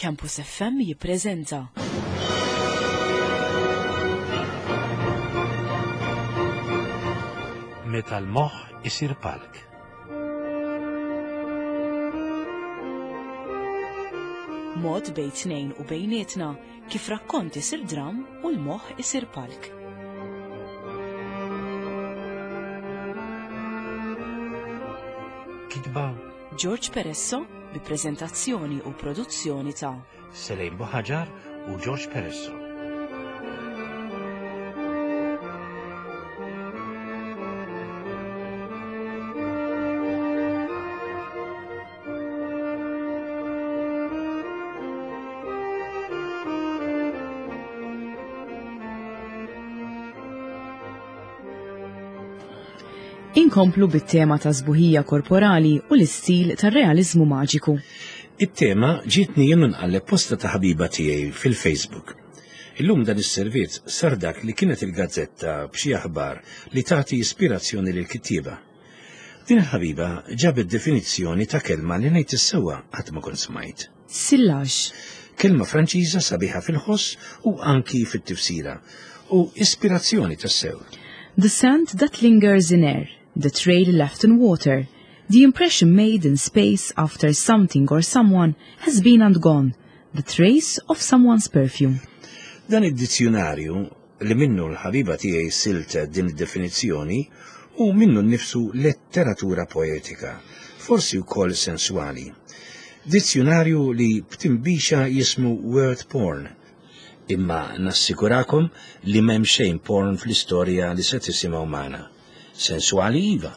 Campus FM jippreżenta. Meta l-moħħ isir palk. Mod bejn tnejn u bejnietna kif rakkont isir dram u l-moħħ isir palk. Kitba George Peresso bi preżentazzjoni u produzzjoni ta' Selejn Buħaġar u George Peresso. Inkomplu bit-tema ta' sbuħija korporali u l-istil tar-realiżmu maġiku. It-tema ġietni jien nqalleb posta ta' ħabiba tiegħi fil-Facebook. Illum dan is-servizz sar dak li kienet il-gazzetta b'xi aħbar li tagħti ispirazzjoni lil kittieba. Din il-ħabiba ġabet definizzjoni ta' kelma li ngħid is-sewwa qatt ma kont smajt. Sillage. Kelma Franċiża sabiħa fil-ħoss u anki fit-tifsira, u ispirazzjoni tassew. The sand that lingers in air, the trail left in water, the impression made in space after something or someone has been and gone, the trace of someone's perfume. Dan id-dizzjunarju li minnu l-ħabiba tiegħi siltet din id-definizzjoni hu minnu nnifsu letteratura poetika, forsi wkoll senswali. Dizzjunarju li b'tinbixa jismu word porn. Imma nassikurakom li m'hemm xejn porn fl-istorja li se tisimgħu magħna. Senswali iva.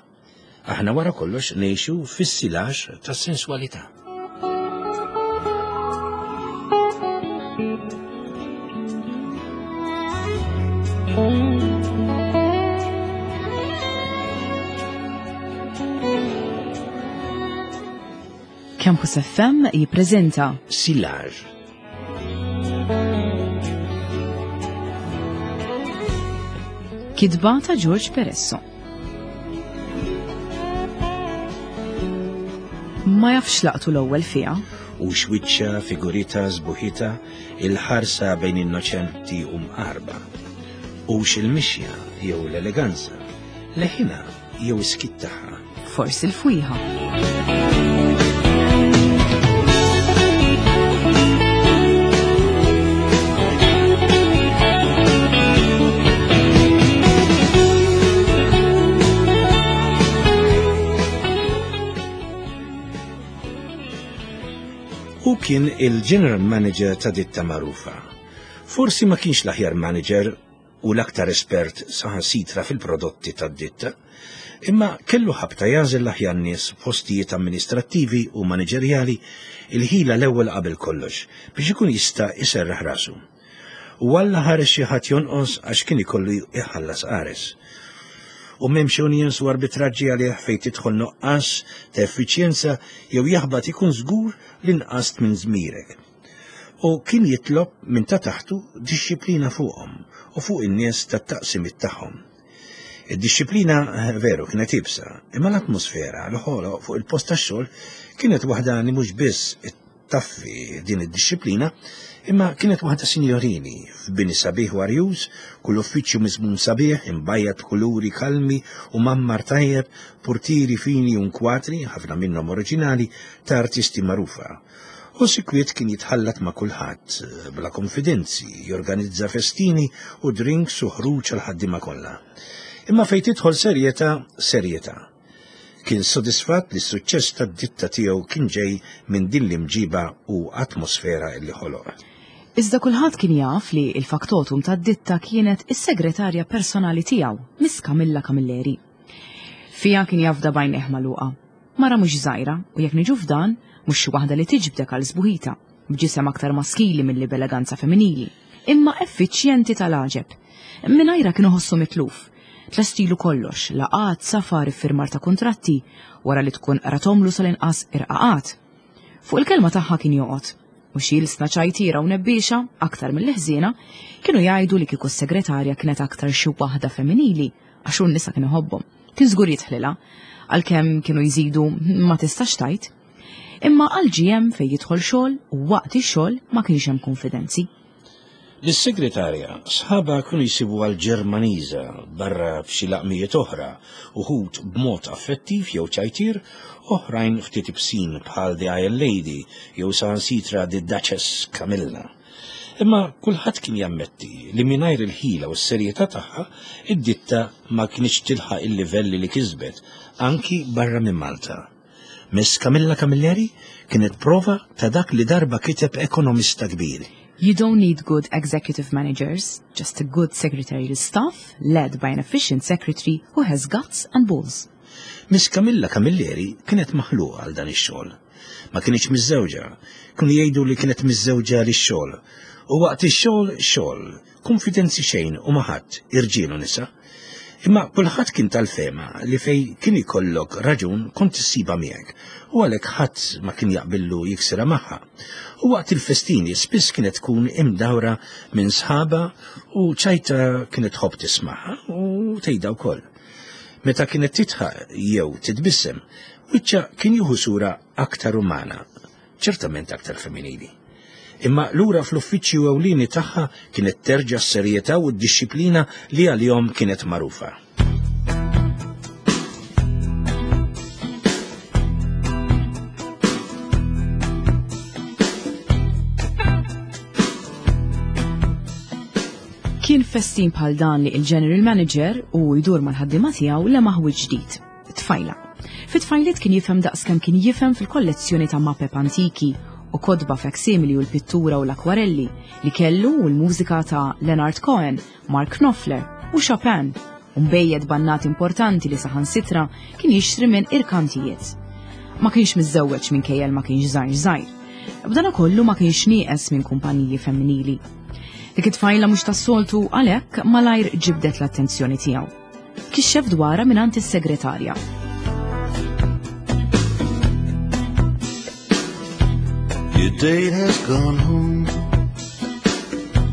Aħna wara kollox ngħixu fis-silax tas-senswalità. Campus FM jippreżenta Silage. Kitba ta' George Peresso. Ma jafx laqtu l-ewwel fiha. U xwiċċa, figurita, sbuħita, il-ħarsa bejn innoċenti u mqarba. U x'il-mixja jew l-eleganza, leħina jew is-skiet tagħha. Forsi l-fwieħa. Hu kien il-general manager ta' ditta magħrufa. Forsi ma kienx l-aħjar manager u l-aktar espert saħansitra fil-prodotti tad-ditta, imma kellu ħabta jagħżel l-aħjar nies f'postijiet amministrattivi u maniġerjali il-ħila l-ewwel qabel kollox biex ikun jista' jserraħ rasu. U Alla ħares xi ħadd jonqos għax kien ikollu jħallas qares. U m'hemmx unions u arbitraġġi għalih fejn tidħol nuqqas ta' effiċjenza jew jaħbat ikun żgur li nqast minn żmirek. U kien jitlob minn ta' taħtu dixxiplina fuqhom u fuq in-nies tat-taqsimiet tagħhom. Id-dixxiplina eh, veru kienet ibsa, imma l-atmosfera li ħoloq fuq il-post tax-xogħol kienet waħda li mhux biss taffi din id-dixxiplina, imma kienet waħda sinjorini, f'bini sabiħ u arjuż, kull uffiċċju miżmum sabiħ, imbajjad b'kuluri kalmi u mgħammar tajjeb, purtieri fini u nkwatri, ħafna minnhom oriġinali, ta' artisti magħrufa. Hu sikwit kien jitħallat ma' kulħadd, bla konfidenzi, jorganizza festini u drinks u ħruġ għall-ħaddiema kollha. Imma fejn tidħol serjetà, serjetà. Kien sodisfatt li s-suċċess tad-ditta tiegħu kien ġej minn din l-imġiba u atmosfera li ħoloq. Iżda kulħadd kien jaf li l-faktotum tad-ditta kienet is-segretarja personali tiegħu, Miss Camilla Camilleri. Fiha kien jafda b'għajnejh magħluqa. Mara mhux żgħira u jekk niġu f'dan, mhux xi waħda li tiġbdek għal sbuħita, b'ġisem aktar maskili milli b'eleganza femminili, imma effiċjenti tal-għaġeb. Mingħajrha kien iħossu mitluf. Tlestilu kollox, laqgħat, safar, iffirmar ta' kuntratti, wara li tkun qrathomlu sal-inqas irqaqat. Fuq il-kelma tagħha kien joqgħod. U xi ilsna ċajtiera u nebbiexa, aktar milli ħżiena, kienu jgħidu li kieku s-segretarja kienet aktar xi waħda femminili, għax hu n-nisa kien iħobbhom. Kien żgur jidħlilha, għalkemm kienu jżidu ma tistax tgħid. Imma għal GM fejn jidħol xogħol u waqt ix-xogħol ma kienx hemm konfidenzi. Lis-segretarja sħabha kienu jsibuha l-Ġermaniża barra f'xi laqmijiet oħra, uħud b'mod affettiv jew ċajtier, oħrajn ftit ibsin bħal The Iron Lady jew saħansitra The Duchess Camilla. Imma kulħadd kien jammetti li mingħajr il-ħila u s-serjetà tagħha, id-ditta ma kinitx tilħaq il-livelli li kisbet, anki barra minn Malta. Miss Camilla Camilleri kienet prova ta' dak li darba kiteb ekonomista kbir. You don't need good executive managers, just a good secretarial staff led by an efficient secretary who has guts and balls. Miss Camilla Camilleri kienet maħluqa għal dan ix-xogħol. Ma kinitx miżżewġa, kienu jgħidu li kienet miżżewġa lix-xogħol. U waqt ix-xogħol xogħol, Kunfidenzi xejn u ma' ħadd, irġiel u nisa. Imma kulħadd kien tal-fehma li fejn kien ikollok raġun kont issibha miegħek u għalhekk ħadd ma kien jaqbillu jiksirha magħha. U waqt il-festini spiss kienet tkun imdawra minn sħabha u ċajta kienet tħobb tismagħha u tgħidha wkoll. Meta kienet tidħaq jew titbissem, wiċċha kien jieħu sura aktar umana. ċertament aktar femminili. Imma lura fl-uffiċċju ewlieni tagħha kienet terġa' s-serjetà u d-dixxiplina li għalihom kienet magħrufa. Kien festin bħal dan li il-General Manager u jdur mal-ħaddiema tiegħu lemaħ ġdid. Tfajla. Fit-tfajliet kien jifhem daqskemm kien jifhem fil-kollezzjoni ta' mapep antiki u kotba facsimili u l-pittura u l-akwarelli li kellu u l-mużika ta' Leonard Cohen, Mark Knopfler u Chopin, u mbejjed bannat importanti li saħansitra kien jixtri minn irkantijiet. Ma kienx miżżewweġ minkejja ma kienx żgħir żgħir. B'dana kollu ma kienx nieqes minn kumpaniji femminili. Dik it-tfajla mhux tas-soltu għalhekk malajr ġibdet l-attenzjoni tiegħu. Kixxef dwarha mingħand is-segretarja. Your date has gone home.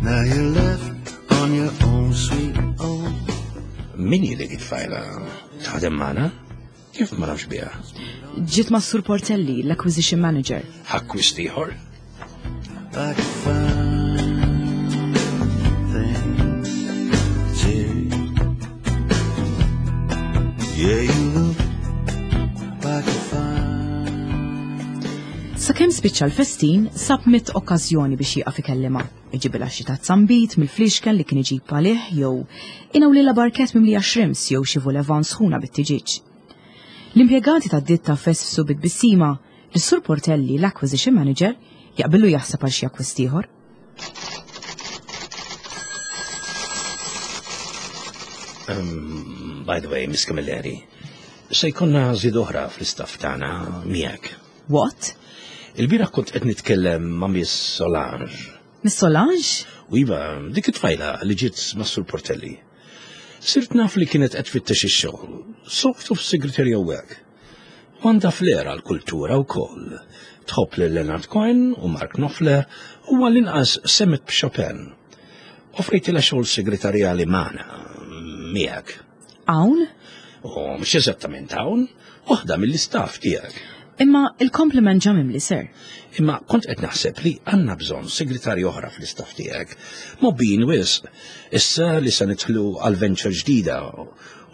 Now you're left on your own sweet own. Min hi dik it-tfajla? Taħdem magħna? Kif ma nafx biha? Ġiet ma' Sur Portelli, l-acquisition manager. Akkwist ieħor? Like a fine thing to. Yeah, you look like a fine. Sakemm spiċċa l-festin, sab mit okkażjoni biex jieqaf ikellimha. Iġibilha xi tazza nbid mill-fliexken li kien iġib għalih jew inawlilha barket mimlija shrimps jew xi volevan sħuna bit-tiġieġ. L-impjegati tad-ditta fesfsu bi tbissima li s-Sur Portelli, l-acquisition manager, jaqbillu jaħseb għal xi akkwist ieħor. Um, by the way, Miss Camilleri, se jkollna żied oħra fl-istaff tagħna miegħek. What? Il-bieraħ kont qed nitkellem ma' Miss Solange. Miss Solange? U iva, dik it-tfajla li ġiet ma' Sur Portelli. Sirt naf li kienet qed tfittex ix-xogħol, sort of secretarial work. U għandha flair għall-kultura wkoll. Tħobb lil Leonard Cohen u Mark Knopfler u għall-inqas semmet b'Chopin. Offrejtilha xogħol segretarjali magħna, miegħek. Hawn? U mhux eżattament hawn, waħda mill-istaff tiegħek. Imma il-kompliment ġa mimli, sir. Imma kont qed naħseb li għandna bżonn segretarju oħra fl-istaff tiegħek. Mobbin wisq, issa li se nidħlu għal venture ġdida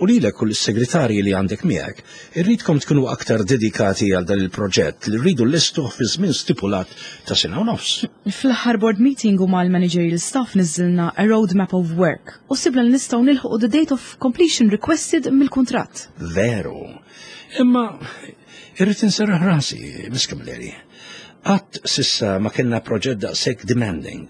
u lilek u lis-segretarji li għandek miegħek, irridkom tkunu aktar dedikati għal dan il-proġett li rridu nlestuh fi żmien stipulat ta' sena u nofs. Fl-aħħar board meeting u mal-managerial staff niżżilna a road map of work u sibna li nistgħu nilħqu the date of completion requested mill-kuntratt. Veru. Imma irrid inserraħ rasi, Miss Camilleri. Qatt s'issa ma kellna proġett daqshekk demanding.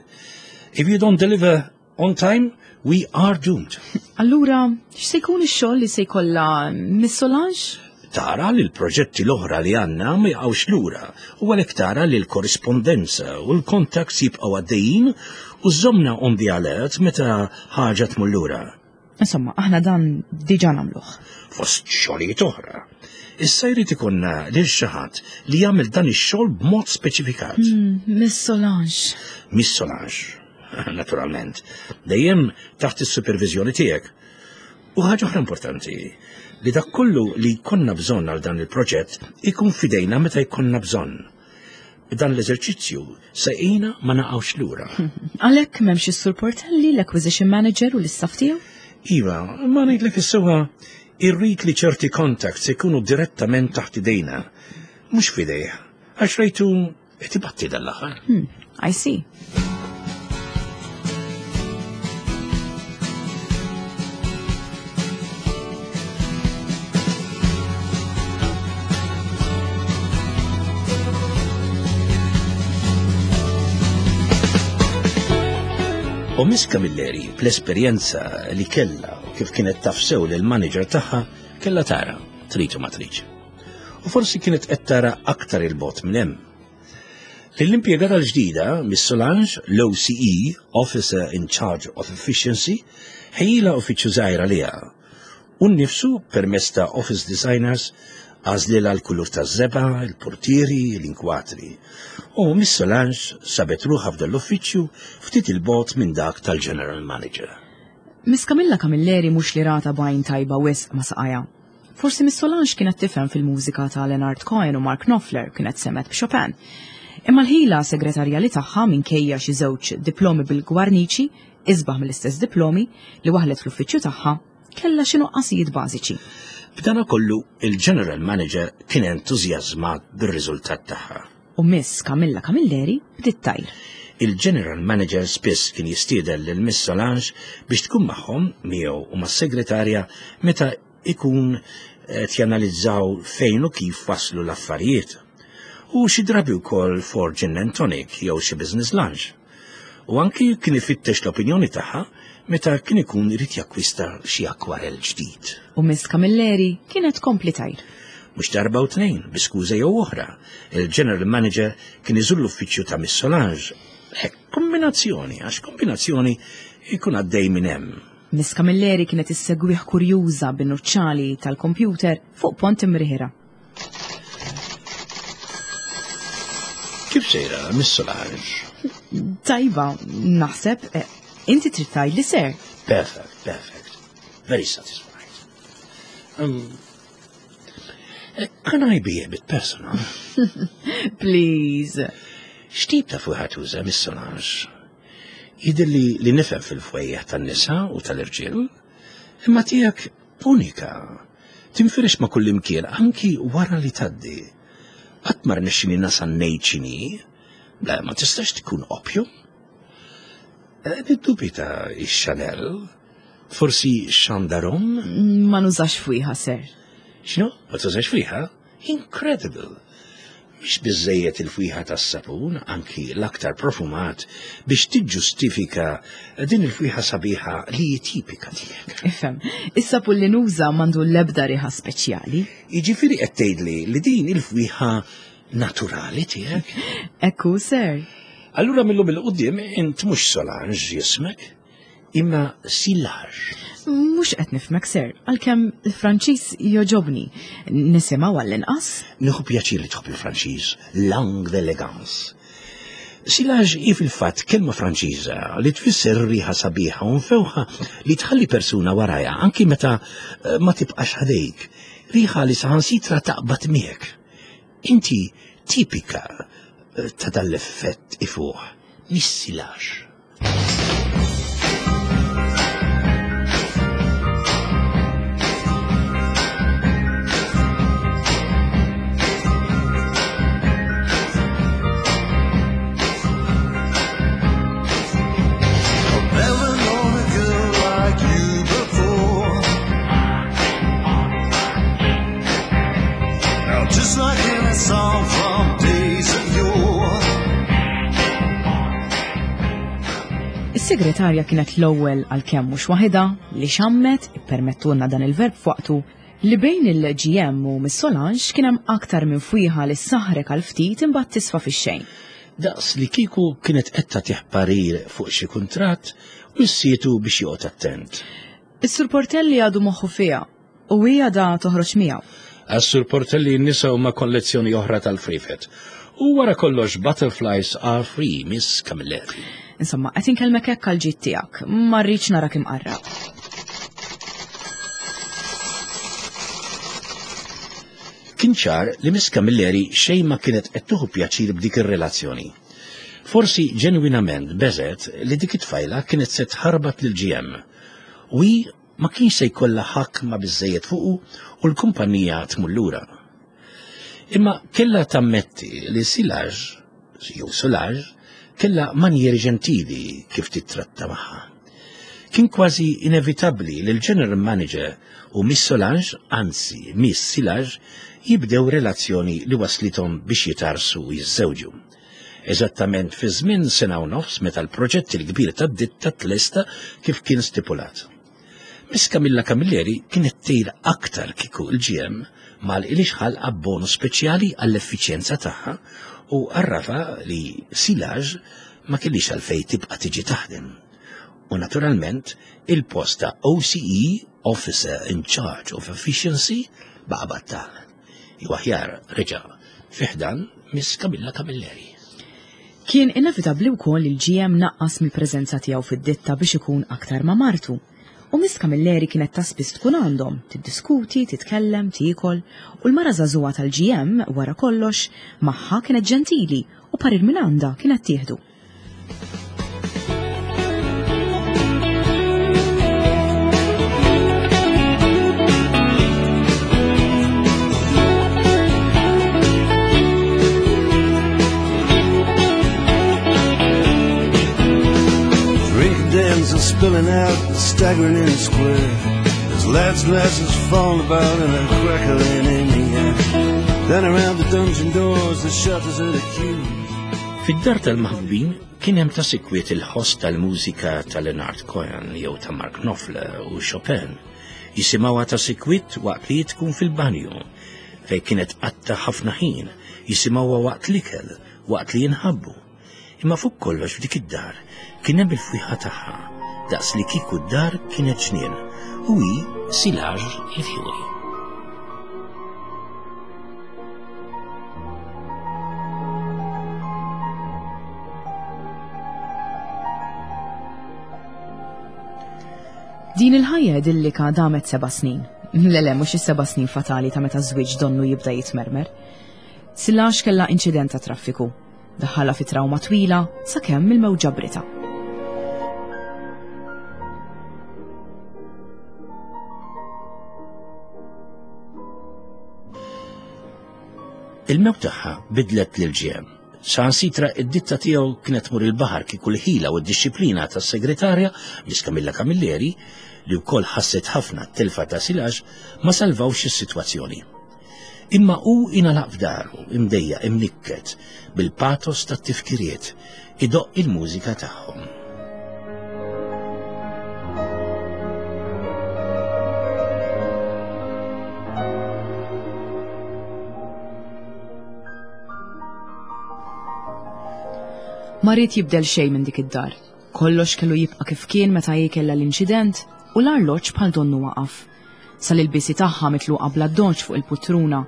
If you don't deliver On time, we are doomed. Allura, x'se jkun ix-xogħol li se jkollha Miss Solange? Tara li l-proġetti l-oħra li għandna ma jaqgħux lura u għalhekk tara li l-korrispondenza u l-contacts jibqgħu għaddejjin u żżommna on the alert meta ħaġa tmur lura. Insomma, aħna dan diġà nagħmluh. Fost xogħlijiet oħra. Issa jrid ikollna lil xi ħadd li jagħmel dan ix-xogħol b'mod speċifikat. Miss Solange. Miss Solange, naturalment, dejjem taħt is-superviżjoni tiegħek. U ħaġa oħra importanti, li dak kollu li jkollna bżonn għal dan il-proġett ikun f'idejna meta jkollna bżonn. Dan l-eżerċizzju se jgħinna ma naqgħux lura. Għalhekk m'hemmx is-Sur Portelli, l-acquisition manager u l-istaff tiegħu? Iva, ma ngħidlek is-sewwa irrid li ċerti contacts ikunu direttament taħt idejna, mhux f'idejh, għax rajtu qed ibatti dan l-aħħar. I see. U Miss Camilleri, bl-esperjenza li kellha u kif kienet taf sew lill-manager tagħha, kellha tara, trid u ma tridx. U forsi kienet qed tara aktar il-bogħod minn hemm. Lill-impjegata l-ġdida, Miss Solange, l-OCE, Officer in Charge of Efficiency, ħejjilha uffiċċju żgħir għaliha. U nnifsu, permezz ta' office designers, għażlilha l-kulur taż-żebgħa, il-purtieri, l-inkwatri. U Miss Solange sabet ruħha f'dan l-uffiċċju ftit 'il bogħod minn dak tal-General Manager. Miss Camilla Camilleri mhux li ratha b'għajn tajba wisq ma' saqajha. Forsi Miss Solange kienet tifhem fil-mużika ta' Leonard Cohen u Mark Knopfler, kienet semgħet b'Chopin. Imma l-ħila segretarjali tagħha minkejja xi żewġ diplomi bil-gwarniċi, isbaħ mill-istess diplomi, li waħlet fl-uffiċċju tagħha, kellha xi nuqqasijiet bażiċi. B'dana kollu, il-General Manager kien entużjażmat bir-riżultat tagħha. U Miss Camilla Camilleri bdiet tgħir. Il-General Manager spiss kien jistieden lil Miss Solange biex tkun magħhom, miegħu u mas-segretarja, meta ikun qed janalizzaw fejn u kif waslu l-affarijiet. U xi drabi wkoll for gin and tonic jew xi business lunch. U anki kien ifittex l-opinjoni tagħha meta kien ikun irid jakkwista xi akkwarell ġdid. U Miss Camilleri kienet tkompli tgħir. Mhux darba u tnejn, bi skuża jew oħra, il-General Manager kien iżur l-uffiċċju ta' Miss Solange. Hekk, kombinazzjoni, għax kombinazzjoni jkun għaddej minn hemm. Miss Camilleri kienet issegwih kurjuża bin-nuċċali tal-kompjuter fuq pont imriħira. Kif sejra, Miss Solange? Tajba, naħseb. Eh, inti trid tgħidli ser. Perfect, perfect. Very satisfied. Um, eh, can I be a bit personal? Please. X'tip ta' fuħa tuża, Miss Solange? Jidhirli li nifhem fil-fwejjaħ tan-nisa u tal-irġiel, imma tiegħek unika. Tinfirex ma' kullimkien anki wara li tgħaddi. Qatt ma rnexxini nasal ngħid x'inhi. Le, ma tistax tkun opium. Eh, niddubita ix-Chanel. Forsi Chandarom? Ma nużax fwieħa, sir. X'inhu? Ma tużax fwieħa? Incredible! Mhix biżżejjed il-fwieħa tas-sapun, anki l-aktar profumat, biex tiġġustifika din il-fwieħa sabiħa li hi tipika tiegħek. Ifhem, is-sapun li nuża m'għandu l-ebda riħa speċjali. Jiġifieri qed tgħidli li din il-fwieħa naturali tiegħek? Hekk hu, sir. Allura mil-lum 'il quddiem int mhux Solange jismek? Imma silage. Mhux qed nifhmek, sir, għalkemm il-Franċiż jogħġobni. Nisimgħu għall-inqas. Nieħu pjaċir li tħobb il-Franċiż, langue d'élégance. Silage hi fil-fatt kelma Franċiża li tfisser riħa sabiħa u mfewħa li tħalli persuna warajha anki meta eh, ma tibqax ħdejk. Riħa li saħansitra taqbad miegħek. Inti tipika eh, ta' dal-effett ifuħ, mis-silage. Just like in a song from days of yore. Is-segretarja kienet l-ewwel għalkemm mhux waħidha li xammet, ippermettulna dan il-verb f'waqtu, li bejn il-GM u Miss Solange kien hemm aktar minn fwieħa li ssaħħrek għal ftit imbagħad tisfa fix-xejn. Daqs li kieku kienet qed tagħtih parir fuq xi kuntratt u ssietu biex joqgħod attent. Is-Sur Portelli għadu moħħu fiha U hi għadha toħroġ miegħu. Għas-Sur Portelli n-nisa huma kollezzjoni oħra tal-frifet. U wara kollox butterflies are free, Miss Camilleri. Insomma, qed inkellmek hekk għal ġid tiegħek. Ma rridx narak imqarraq. Kien ċar li Miss Camilleri xejn ma kienet qed tieħu pjaċir b'dik ir-relazzjoni. Forsi ġenwinament beżgħet li dik it-tfajla kienet se tħarbat lill-GM. U hi ma kienx se jkollha ħakma biżżejjed fuqu u l-kumpanija tmur lura. Imma kellha tammetti li Silage, jew Solage, kellha manjieri ġentili kif tittratta magħha. Kien kważi inevitabbli li l-General Manager u Miss Solange, anzi Miss Silage, jibdew relazzjoni li waslithom biex jitarsu u jiżżewġu. Eżattament fi żmien sena u nofs meta l-proġett il-kbir tad-ditta tlesta kif kien stipulat. Miss Camilla Camilleri kienet tgħir aktar kieku l-GM ma għalqilhiex ħalqha b'bonus speċjali għall-effiċjenza tagħha u għarrafha li Silage ma kellhiex għalfejn tibqa' tiġi taħdem. U naturalment il-post ta' OCE, Officer in Charge of Efficiency, baqa' battal. Jew aħjar reġa' fi ħdan Miss Camilla Camilleri. Kien inevitabbli wkoll li l-GM naqqas mill-preżenza tiegħu fid-ditta biex ikun aktar ma' martu. U Miss Camilleri kienet ta' spiss tkun għandhom, tiddiskuti, titkellem, tiekol, u l-mara żagħżugħa tal-GM, wara kollox, magħha kienet ġentili u parir minn għandha kienet tieħdu. Dens are spilling out and staggering in the square. There's lads' glasses falling about and a crackling in the air. Then around the dungeon doors, the shutters and the queues. Fid-dar tal-maħbubin kien hemm ta' sikwit il-ħoss tal-mużika ta' Leonard Cohen jew ta' Mark Knopfler u Chopin. Jisimgħuha ta' sikwit waqt li tkun fil-banju, fejn kienet tqatta' ħafna ħin, jisimgħuha waqt l-ikel, waqt li jinħabbu. Imma fuq kollox f'dik id-dar kien hemm il-fwieħa tagħha, daqs li kieku d-dar kienet ġnien u hi silaġ il-fjuri. Din il-ħajja idillika damet seba' snin. Le le, mhux is-seba' snin fatali ta' meta żwieġ donnu jibda jitmermer. Silax kellha inċident ta' traffiku. Daħħalha fi trawma twila sakemm il-mewt ġabritha. Il-mewt tagħha bidlet lil GM. Saħansitra id-ditta tiegħu kienet tmur il-baħar kieku l-ħila u d-dixxiplina tas-segretarja, Miss Camilla Camilleri, li wkoll ħasset ħafna t-telfa ta' Silax, ma salvawx is-sitwazzjoni. Imma hu ingħalaq f'daru, imdejjaq, imnikket, bil-patos tat-tifkiriet, idoqq il-mużika tagħhom. Ma ried jibdel xejn minn dik id-dar. Kollox kellu jibqa' kif kien meta hi kellha l-inċident u l-arloġġ bħal donnu waqaf. Sal-ilbiesi tagħha mitluqa bl-addoċċ fuq il-putruna.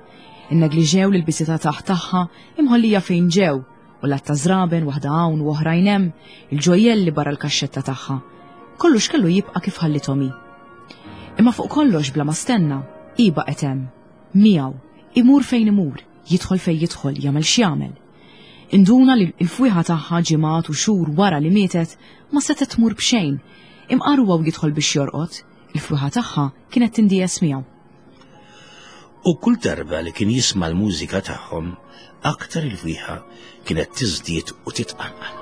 Innegliġew l-ilbiesi ta' taħt tagħha imħollija fejn ġew u l-għadd ta' żraben waħda hawn u oħrajn hemm, il-ġojjelli barra l-kaxxetta tagħha. Kollox kellu jibqa' kif ħallithom hi. Imma fuq kollox bla ma stenna, hi baqgħet hemm. Miegħu, imur fejn imur, jidħol fejn jidħol, jagħmel x'jagħmel. Induna li l-fwieħa tagħha ġimgħat u xhur wara li mietet ma setgħet tmur b'xejn, imqar huwa u jidħol biex jorqod, Il-fwieħa tagħha kienet tindies miegħu. U kull darba li kien jisma' l-mużika tagħhom, aktar il-fwieħa kienet tiżdied u titqanqal.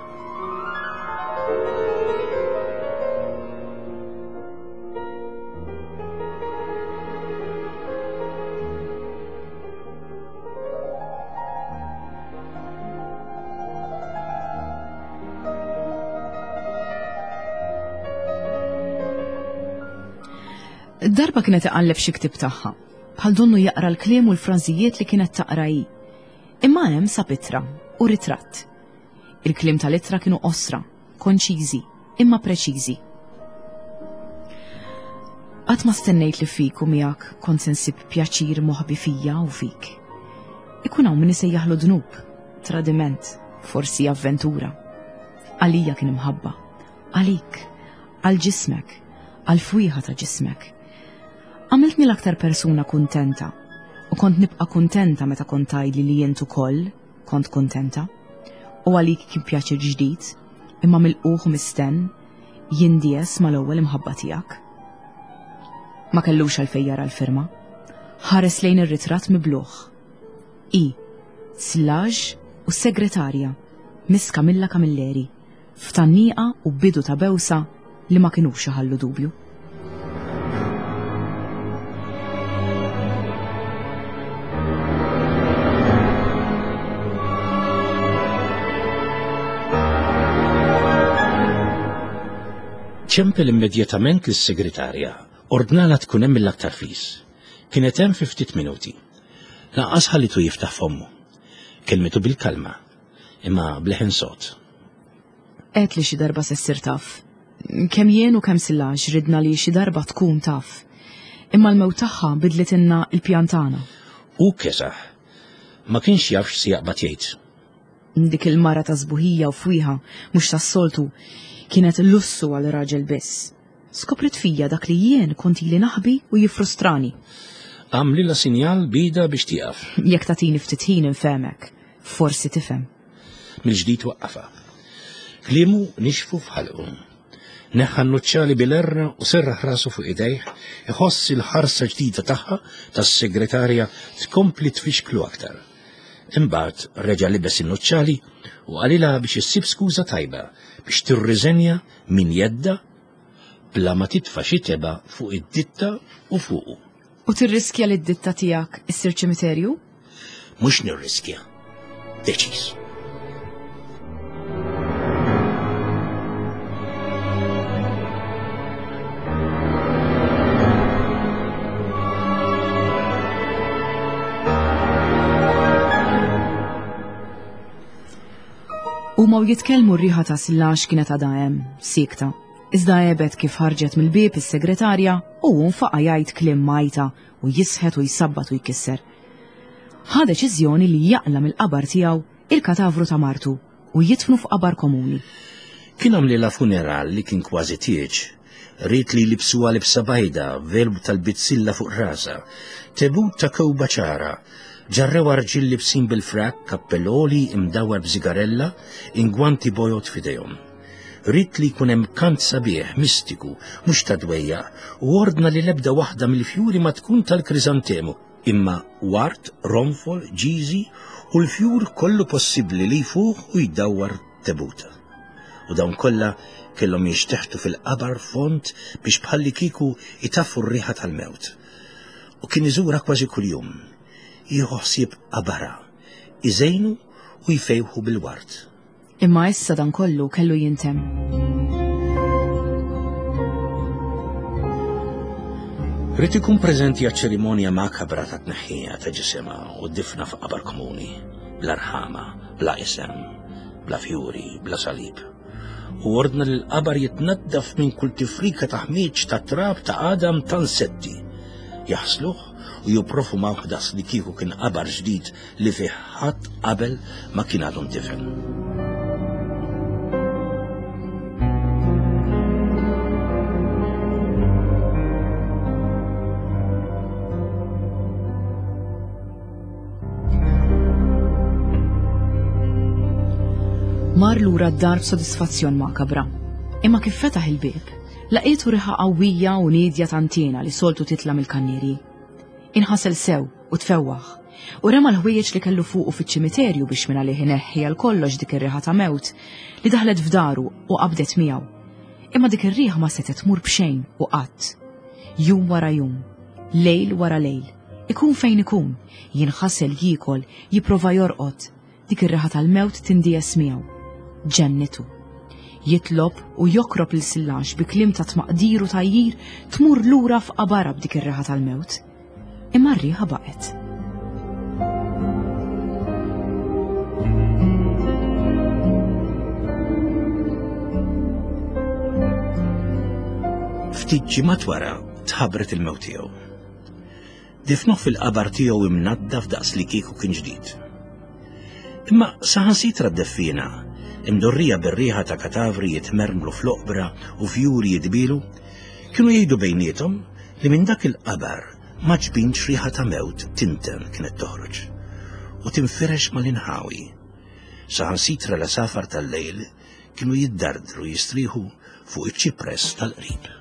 Darba kienet iqalleb xi ktieb tagħha, bħal donnu jaqra l-kliem u l-frażijiet li kienet taqra hi. Imma hemm sab ittra u ritratt. Il-kliem tal-ittra kienu qosra, konċiżi, imma preċiżi. Qatt ma stennejt li fik u miegħek kont se nsib pjaċir moħbi fija u fik. Ikun hawn min isejjaħlu dnub, tradiment, forsi avventura. Għalija kien imħabba, għalik, għal ġismek, għal fwieħa ta' ġismek. Għamiltni l-aktar persuna kuntenta. U kont nibqa' kuntenta meta kont tgħidli li int ukoll kont kuntenta. U għalik kien pjaċir ġdid, imma milqugħ u mistenn, jindies mal-ewwel imħabba tiegħek. Ma kellux għalfejn jara l-firma. Ħares lejn ir-ritratt mibluħ. I, Slaġ u s-segretarja, Miss Camilla Camilleri, f'tgħanniqa u bidu ta' bewsa li ma kinux iħallu dubju. Ċempel immedjatament lis-segretarja, ordnalha tkun hemm mill-aktar fis. Kienet hemm fi ftit minuti. Lanqas ħallitu jiftaħ fommu. Kelmitu bil-kalma, imma bleħen sod. Għedt li xi darba se ssir taf. Kemm jien u kemm Sillax ridna li xi darba tkun taf. Imma l-mewt tagħha bidlitilna l-pjan tagħna. Hu kesaħ. Ma kienx jaf x'se jaqbad jgħid. Dik il-mara ta' sbuħija u fwieħa mhux tas-soltu kienet lussu għal raġel biss. Skopriet fija dak li jien kont ili naħbi u jiffrustrani. Għamlilha sinjal b'idha biex tieqaf. Jekk tagħtini ftit ħin infehmek, forsi tifhem. Mill-ġdid waqqafha. Kliemu nixfu f'ħalqu. Neħħa n-nuċċali bil-erra u serraħ rasu fuq idejh, iħoss il-ħarsa ġdida tagħha tas-segretarja tkompli tfixklu aktar. Imbagħad reġa' libes in-nuċċali u qalilha biex issib skuża tajba biex tirriżenja minn jeddha bla ma titfa' xi tebgħa fuq id-ditta u fuqu. U tirriskja li d-ditta tiegħek issir ċimiterju? Mhux nirriskja. Deċiż. Huma u jitkellmu r-riħa ta' sillax kienet għadha hemm, siekta. Iżda għebet kif ħarġet mill-bieb is-segretarja u hu nfaqa' jgħid kliem m'għajta u jisħet u jsabbat u jkisser. Ħa deċiżjoni li jaqla' mill-qabar tiegħu il-katavru ta' martu u jidfnu f'qabar komuni. Kien għamlilha funeral li kien kważi tieġ. Ried li jlibbsuha libsa bajda, velu tal-bizzilla fuq rasha, tebut ta' kewba ċara. Ġarrewha rġiel libsin bil-frakk, kappell għoli imdawwar b'żigarella, ingwanti bojod f'idejhom. Ried li jkun hemm kant sabiħ, mistiku, mhux ta' dwejjaq, u ordna li l-ebda waħda mill-fjuri ma tkun tal-kriżantemu, imma ward, ronfol, ġiżi u l-fjur kollu possibbli li jfuħ u jdawwar tebuta. U dawn kollha kellhom jinxteħtu fil-qabar fond biex bħallikieku itaffu r-riħa tal-mewt. U kien iżurha kważi kuljum, jieħu ħsieb qabarha, iżejnu u jfejħu bil-ward. Imma issa dan kollu kellu jintemm. Ried ikun preżenti għaċ-ċerimonja makabra ta' tneħħija ta' ġisimha u d-difna f'qabar komuni, bla rħama, bla isem, bla fjuri, bla salib. U ordna li l-qabar jitnaddaf minn kull tifrika ta' ħmieġ ta' trab ta' għadam ta' nsetti. Jaħsluh u jipprofumawh daqs li kieku kien qabar ġdid li fih ħadd qabel ma kien għadu ndifen. Mar lura d-dar b'sodisfazzjon makabra. Imma kif fetaħ il-bieb, laqietu riħa qawwija u niedja tantiena li soltu titla' mill-kannierji. Inħasel sew u tfewwaħ, u rema l-ħwejjeġ li kellu fuqu fiċ-ċimiterju biex mingħalih ineħħi għal kollox dik ir-riħa ta' mewt li daħlet f'daru u qabdet miegħu. Imma dik ir-riħa ma setgħet tmur b'xejn u qatt. Jum wara jum, lejl wara lejl, ikun fejn ikun, jinħasel jiekol, jipprova jorqod, Dik ir-riħa tal-mewt tindies miegħu. Ġennitu. Jitlob u jokrob lil Sillax bi kliem ta' tmaqdir u tgħajjir tmur lura f'qabarha b'dik ir-riħa tal-mewt. Imma r-riħa baqgħet. Ftit ġimgħat wara tħabbret il-mewt tiegħu. Difnuh fil-qabar tiegħu imnaddaf daqs li kieku kien ġdid. Imma saħansitra d-deffiena, imdorrija bir-riħa ta' katavri jitmermlu fl-oqbra u fjuri jidbilu, kienu jgħidu bejniethom li minn dak il-qabar Ma ġbinx riħa ta' mewt tinten kienet toħroġ u tinfirex mal-inħawi. Saħansitra l-għasafar tal-lejl kienu jiddardru jistrieħu fuq iċ-ċipress tal-qrib.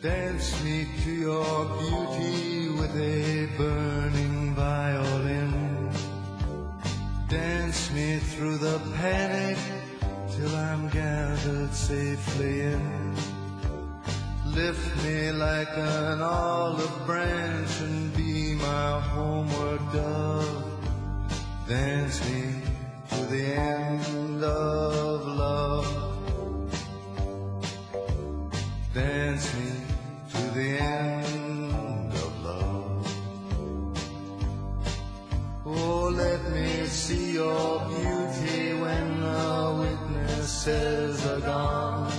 Dance me to your beauty with a burning violin. Dance me through the panic till I'm gathered safely in. Lift me like an olive branch and be my homeward dove. Dance me to the end of love. Dance me to the end of love. Oh, let me see your beauty when the witnesses are gone.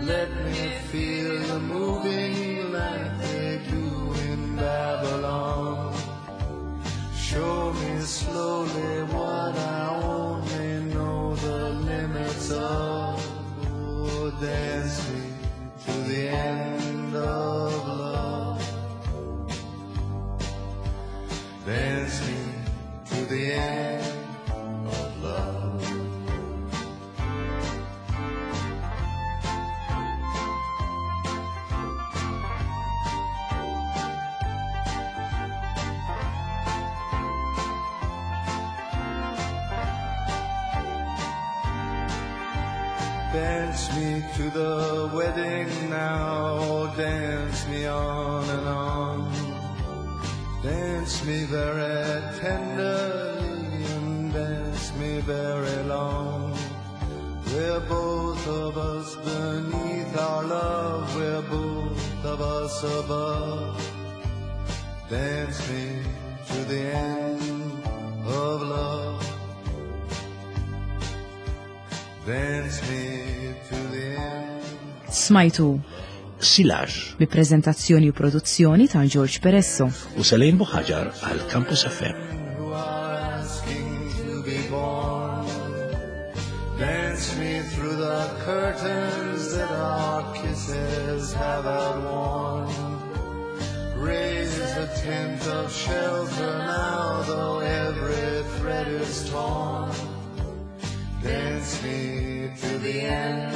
Let me feel the moving like they do in Babylon. Show me slowly what I only know the limits of. Oh, dance me to the end of love. Dance me to the end of love. Dance me to the wedding now, dance me on and on. Dance me very tenderly and dance me very long. We're both of us beneath our love, we're both of us above. Dance me to the end of love. Dance me to the end. Smajtu Silage bi preżentazzjoni u produzzjoni ta' George Peresso. u Selene Buħaġar għal Campus FM. Who are asking to be born. Dance me through the curtains that our kisses have outworn. Raise the tent of shelter now, though every thread is torn. Dance me to the end.